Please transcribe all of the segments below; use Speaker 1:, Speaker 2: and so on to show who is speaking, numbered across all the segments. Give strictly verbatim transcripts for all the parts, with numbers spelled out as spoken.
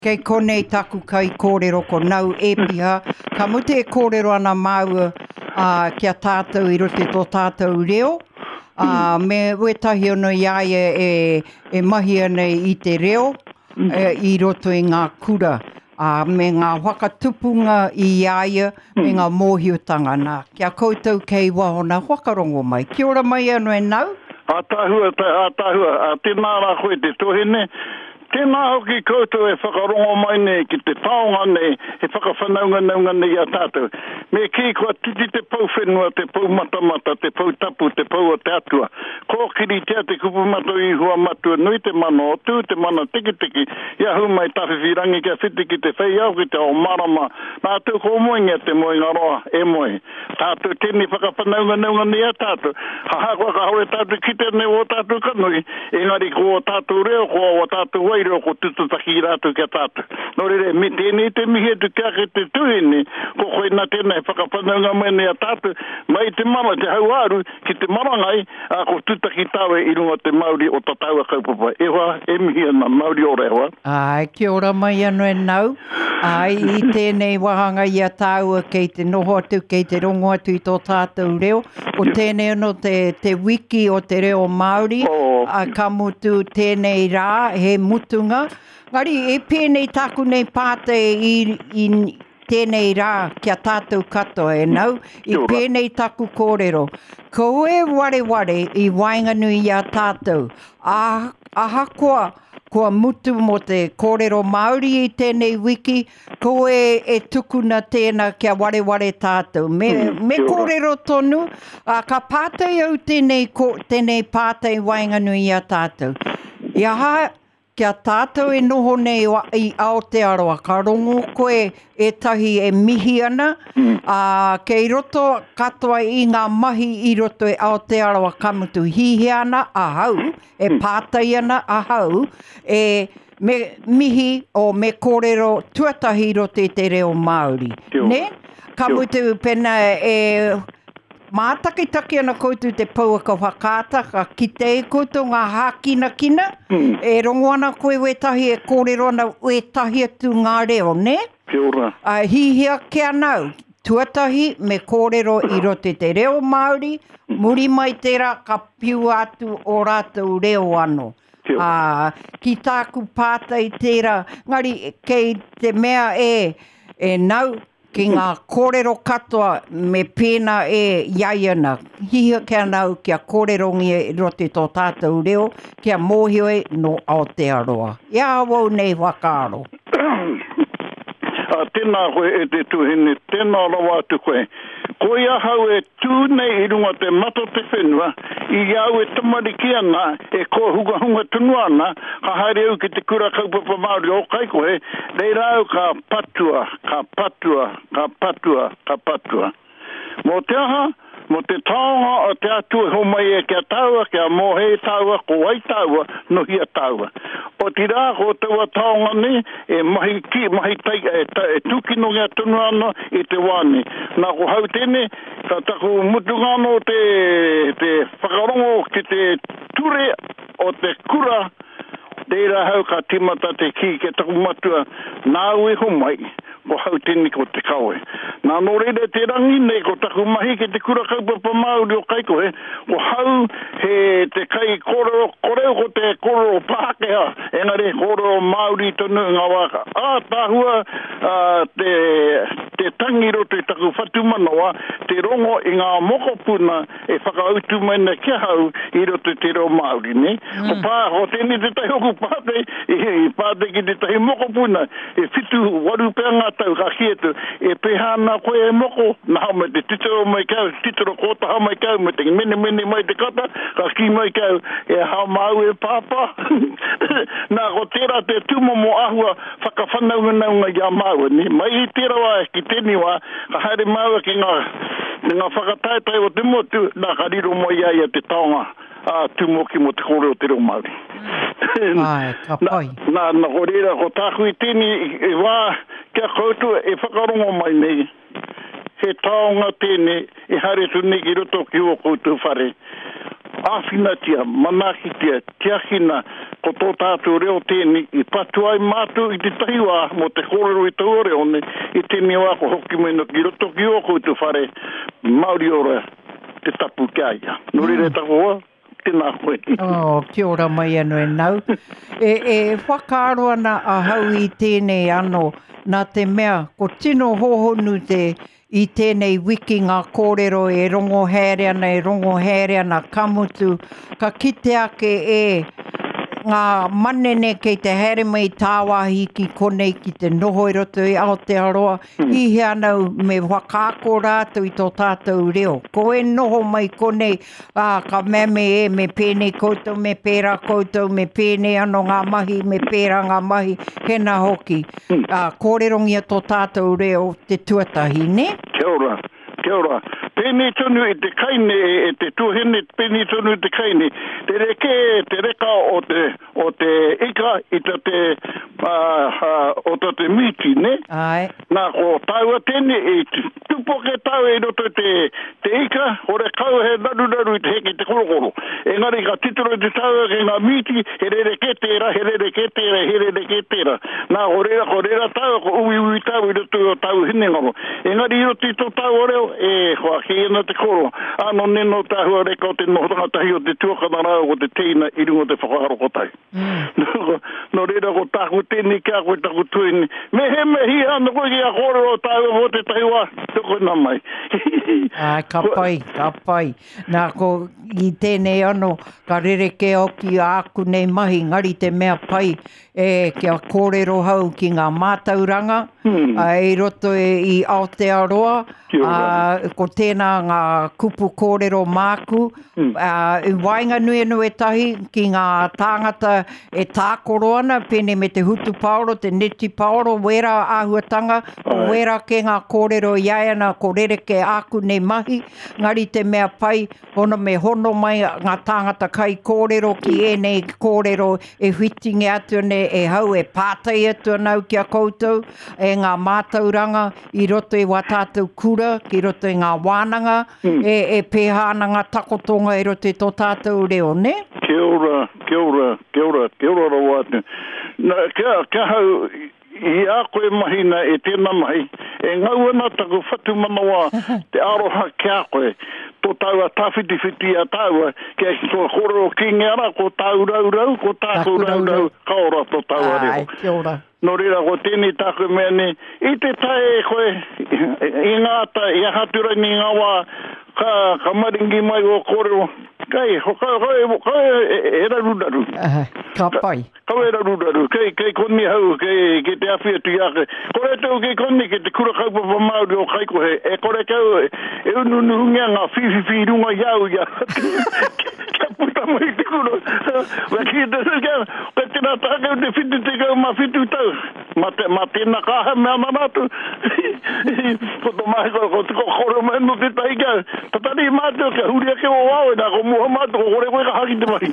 Speaker 1: Kei konei taku kai kōrero ko Nau Epiha. Ka mutu e kōrero ana māua uh, kia tātou i roto i tō tātou reo. Uh, me wetahi ono i a ia e, e mahi ana i te reo e, i roto i ngā kura. Uh, me ngā whakatupunga i a ia, me ngā mōhiotanga nā. Kia koutou kei waho nā whakarongo mai. Kia ora mai anō e Nau?
Speaker 2: Ātahua, ātahua, a tēnā rā koe te tohene. Tēnā hoki koutou e whakarongo mai nei ki te taonga nei, e whakawhanaunganaunga nei a tātou. Me kī kua titi te pou whenua, te pou matamata, te pou tapu, te pou o te atua. Kōkiritea te kupu mato i hua matua nui te mana o tū, te mana tikitiki, i ahu mai tawhiwhi rangi kia whiti ki te whei au ki te ao marama. Nā tū ko moengia te moenga roa, e moe. Tātou tēnei whakawhanaunganaunga nei a tātou. Haha kua kahore tātou kite nei o tātou kanui, engari ko o tātou reo, ko o tātou wai reo, ko tututaki i rātou kia tātou. Nō reira, me tēnei te mihi atu kia ke te tuhine, ko koe nā tēnei whakawhanaunga mai nei a tātou, mai te mara, te hauāru, ki te marangai, a ko tutaki tāwe i runga te mauri o ta taua kaupapa. E hoa, e mihi ana, mauri ora e hoa.
Speaker 1: Ai, kia ora mai anō e Nau. Ai, i tēnei wāhanga i a tāua kei te noho atu, kei te rongo atu i tō tātou reo. Ko tēnei anō te, te wiki o te reo Māori,
Speaker 2: Oh.
Speaker 1: a, ka mutu tēnei rā, he mutunga. Ngari, e pēnei tāku nei pātai i, i tēnei rā kia tātou katoa e Nau, i
Speaker 2: Kia ora.
Speaker 1: pēnei taku kōrero. Ko e wareware i waenganui i a tātou. A, ahakoa kua mutu mō te kōrero Māori i tēnei wiki, ko e, e tukuna tēnā kia wareware tātou. Me,
Speaker 2: Mm,
Speaker 1: me
Speaker 2: kia ora.
Speaker 1: kōrero tonu, a, ka pātai au tēnei, ko, tēnei pātai waenganui i a tātou. I aha, kia tātou e noho nei wa- i Aotearoa, ka rongo koe ētahi e mihi ana,
Speaker 2: Mm.
Speaker 1: ā, kei roto katoa i ngā mahi i roto i Aotearoa ka mutu hihia ana ahau, e pātai ana ahau, e me mihi o me kōrero tuatahi i roto i te reo Māori.
Speaker 2: Kia ora.
Speaker 1: Ne? Ka
Speaker 2: Kia ora.
Speaker 1: mutu pena e mātakitaki ana koutou te pouaka whakaata, ka kite e koutou ngā hākinakina,
Speaker 2: Mm.
Speaker 1: e rongo ana koe wētahi e kōrero ana wētahi atu ngā reo, ne?
Speaker 2: Kia ora.
Speaker 1: A hihia ke anau, tuatahi me kōrero i roto i te reo Māori, muri mai tērā ka piua atu o rātou reo anō.
Speaker 2: Kia ora.
Speaker 1: Ā, ki tāku pātai tērā, ngari kei te mea e, e nau, ki ngā kōrero katoa me pēnā e iaiana. Hihia ke anau kia kōrerongia i roto i tō tātou reo, kia mōhio e no Aotearoa. I awau nei whakaaro.
Speaker 2: A, tēnā koe e te tuhine, tēnā rawa atu koe. Ko i ahau e tū nei i runga te mata o te whenua, i au e tamariki ana, e kōhungahunga tonu ana, ka haere au ki te kura kaupapa Māori o Kaikohe, reira au ka patua, ka patua, ka patua, ka patua. Mō te aha, mō te taonga o te atua e homai e kia tāua, kia mōhei tāua, ko wai tāua, nohia tāua. O te rā, ko taua taonga nei, e mahi ki, mahi tai, e, ta, e tūkinongia tonu ana i te wā nei. Nā ko hau tēnei, ka taku mutunga anō te, te whakarongo ki te ture o te kura, reira hau ka timata te kī ke taku matua, nāu e homai, ko hau tēnei ko te kawe. Nā nō reira te rangi nei ko taku mahi ki te kura kaupapa Māori o Kaikohe, ko hau he te kai kōrero, koreo ko te kōrero Pākehā, engari he kōrero Māori tonu ngā wā. Ātaahua, ā, te, te tangi roto i taku whatumanawa, te rongo i ngā mokopuna e whakautu mai nei ki ahau i roto i te reo Māori, ne?
Speaker 1: Mm.
Speaker 2: Ko pā, ko tēnei te tahi oku pātai, i, i pātai ki te tahi mokopuna, e whitu waru pea ngā tau ka ki atu, e pēhā ana koe e moko, nā me te titiro mai kau, titiro kōtaha mai kau, me te mene mene mai te kata, ka ki mai kau, e hā māu e pāpā. Nā, ko tērā te tūmomo āhua whakawhanaunganaunga i a māua, ne? Mai i tērā wā ki tēnei wā, ka haere māua ki ngā, ki ngā whakataetae o te motu, nā ka riro mai ia ia te taonga a tūmoki mō te kōrero te reo Māori.
Speaker 1: Ai, ka pai.
Speaker 2: Nā, nā, ko reira, ko tāku i tēnei i wā kia koutou e whakarongo mai nei, he taonga tēnei e haere tu nei ki roto ki o koutou whare. Āwhinatia, manaakitia, tiakina, ko tō tātou reo tēnei, i patu ai mātou i te tahi wā mō te kōrero i taua reo nei, i tēnei wā ko hoki mai no ki roto ki ō koutou whare, Mauri ora te tapu ki a ia. Nō reira mm. taku hoa, tēnā koe.
Speaker 1: Oh, kia ora mai anō e nau. E, e whakaaro ana ahau i tēnei anō, nā te mea, ko tino hōhonu te i tēnei wiki ngā kōrero e rongo haere ana, e rongo haere ana, ka mutu, ka kite ake e ngā manene kei te haere mai tāwāhi ki konei ki te noho i roto i Aotearoa, mm. i hea anau me whakaako rātou i tō tātou reo. Ko e noho mai konei, ā, ka mea me e, me pēnei koutou, me pērā koutou, me pēnei anō ngā mahi, me pērā ngā mahi, hena hoki. Mm. Ā, kōrerongia tō tātou reo te tuatahi, ne?
Speaker 2: Kia ora, kia ora. Pēnei tonu i te kaine, e te tuahine, pēnei tonu i te kaine. Te reke, te reka o te, o te ika i ta te, uh, uh, o ta te mīti, ne?
Speaker 1: Ai.
Speaker 2: Nā, ko tāua tēnei, i tupoke tāua i roto te, te ika, hore kau he raruraru i te heke te korokoro. Engari ka titiro i te tāua ki ngā mīti, he rere kē tērā, he rere kē tērā, he rere kē tērā. Nā, ko reira, ko reira tāua, ko uiui tāua i roto i o tāua hinengaro. Engari i roto i tō tāua reo, e, hoa, ki ena te koro. Ano neno tāhua reka o te nohotanga tahi o te tuakana rāua ko te teina i runga o te whakaaro kotahi. Mm. Nō reira ko tāku tēnei kia koe taku tuini. Me he me hi ana koe ki a kōrero tāua mō te tahi wā, tukuna mai.
Speaker 1: Ai, ka pai, ka pai. Nā, ko i tēnei anō, ka rereke hoki āku nei mahi, ngari te mea pai, e kia kōrero hau ki ngā mātauranga,
Speaker 2: hmm.
Speaker 1: a, i roto e, i Aotearoa, a, ko tēnā ngā kupu kōrero māku,
Speaker 2: hmm.
Speaker 1: a, i waenganui anō ētahi ki ngā tāngata e tākoro ana, pēnei me te hutupaoro, te netipaoro, wērā āhuatanga, ko wērā ke ngā kōrero i ai ana, ko rereke āku nei mahi, ngari te mea pai, hono me hono mai ngā tāngata kai kōrero ki ēnei kōrero e whitinge atu nei, e hau e pātai atu anau ki a koutou, e ngā mātauranga i roto i wā tātou kura, ki roto i ngā wānanga,
Speaker 2: mm.
Speaker 1: e, e pēhā ana ngā takotonga i roto i tō tātou reo, ne?
Speaker 2: Kia ora, kia ora, kia ora, kia ora rawa atu. Nā, kia, kia hau, i a koe mahina e tēnā mahi, e ngau ana taku whatumanawa te aroha ki a koe, tō tāua tāwhitiwhiti a tāua, kia tō kōrero kingi ara, ko tāu rau rau, ko tāku rau rau, ka ora tō tāua reo.
Speaker 1: Ai, kia ora.
Speaker 2: Nō reira, ko tēnei tāku mea nei, i te tae e koe, i ngā ata, i aha atu rani ngā wā, ka, ka maringi mai o kōrero, kai, ho, ka, ka, ka, e, e raruraru.
Speaker 1: Uh, ka pai.
Speaker 2: Ka, ka e raruraru, kei, kei koni hau, kei, kei te awhi atu i a koe. Kore tau kei koni, kei te kura kaupapa Māori o Kaikohe, e kore kau, e ununuhungia ngā whiwhiwhi i runga i au ia. Kia puta mai te kura. Wa ki te kia, ka tēnā tākau te whitu te kau mā whitu tau. Mā, te, mā tēnā kaha mea ana rātou. Ko tō mahi ko, ko te kore mai no te tahi kia. Tatari mātou kia huri ake o wao, nā ko muha mātou, ko kore koe ka haki te mahi.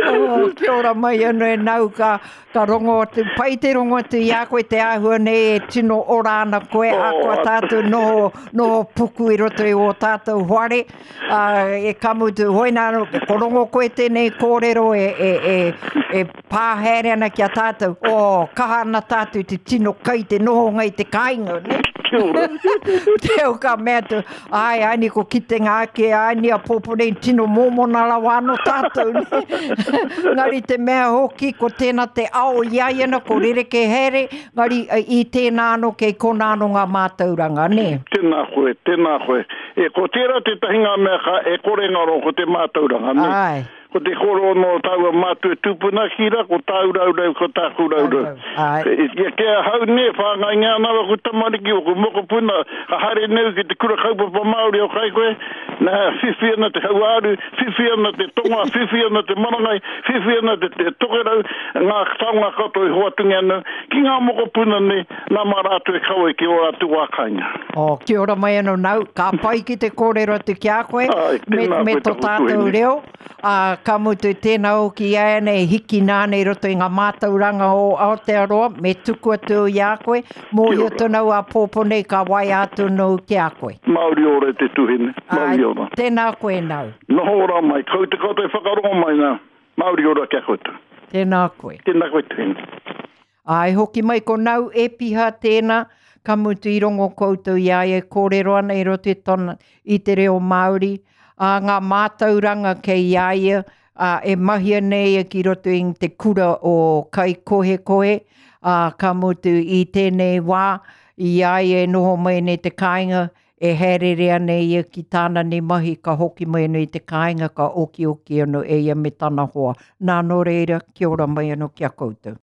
Speaker 1: Oh, kia ora mai anō e nau ka, ka rongo atu, pai te rongo atu i a koe te āhua nei e tino ora ana koe,
Speaker 2: Oh,
Speaker 1: a koa tātou noho, noho puku i roto i o tātou whare, uh, e ka mutu, hoina anō, ko rongo koe tēnei kōrero e, e, e, e pā haere ana ki a tātou, oh, kaha ana tātou te tino kai te nohonga i te kāinga, ne?
Speaker 2: Kia ora.
Speaker 1: Teo ka mea atu, ai, ai ni ko kitenga ake, ai ni a pōpō nei tino mōmona rawa anō tātou, ne? Ngari te mea hoki, ko tēnā te ao i ai ana, ko rereke haere, ngari i tēnā anō kei kona anō ngā mātauranga, ne?
Speaker 2: Tēnā koe, tēnā koe. E, ko tērā tētahi ngā mea ka e kore ngaro ko te mātauranga, ne?
Speaker 1: Ai.
Speaker 2: Ko te koro no tāua mātua tupuna kira, ko tāu raurau, ko tāku raurau.
Speaker 1: Ai.
Speaker 2: E, e, kia hau ne, whāngai ngā anawa ko tamariki o ko mokopuna, ka haere neu ki te kura kaupapa Māori o Kaikohe, nā, whiwhi ana te hauāru, whiwhi ana te tonga, whiwhi ana te marangai, whiwhi ana te, te tokerau, ngā taonga katoa i hoatungi ana, ki ngā mokopuna nei, nā mā rātou e kawe ki o rātou wā kāinga.
Speaker 1: Oh, kia ora mai anō nau, ka pai ki te kōrero atu ki a koe,
Speaker 2: Ai,
Speaker 1: me,
Speaker 2: tēnā
Speaker 1: me
Speaker 2: koe
Speaker 1: tō
Speaker 2: taku
Speaker 1: tātou
Speaker 2: tuahine.
Speaker 1: reo, ā, ka mutu tēnā hoki i a nei hiki nāna i roto i ngā mātauranga o Aotearoa, me tuku atu i a koe, mōhio tonu au āpōpō nei ka waea atu nōu ki a koe.
Speaker 2: Mauri ora e te tuhine, mauri ora.
Speaker 1: Tēnā koe nau.
Speaker 2: Noho ora mai, kau te koutou e whakarongo mai nā, mauri ora ki a koutou.
Speaker 1: Tēnā koe.
Speaker 2: Tēnā koe tuhine.
Speaker 1: Āe, hoki mai ko Nau Epiha tēnā, ka mutu i rongo koutou i a ia e kōrero ana i roto i tona, i te reo Māori, ā, ngā mātauranga kei a ia, ā, e mahia nei ia ki roto i te kura o Kaikohekohe, ā, ka mutu i tēnei wā, i a ia e noho mai nei te kāinga, e haereere ana ia ki tāna nei mahi, ka hoki mai anō i te kāinga, ka okioki anō e ia me tana hoa. Nā, nō reira, kia ora mai anō ki a koutou.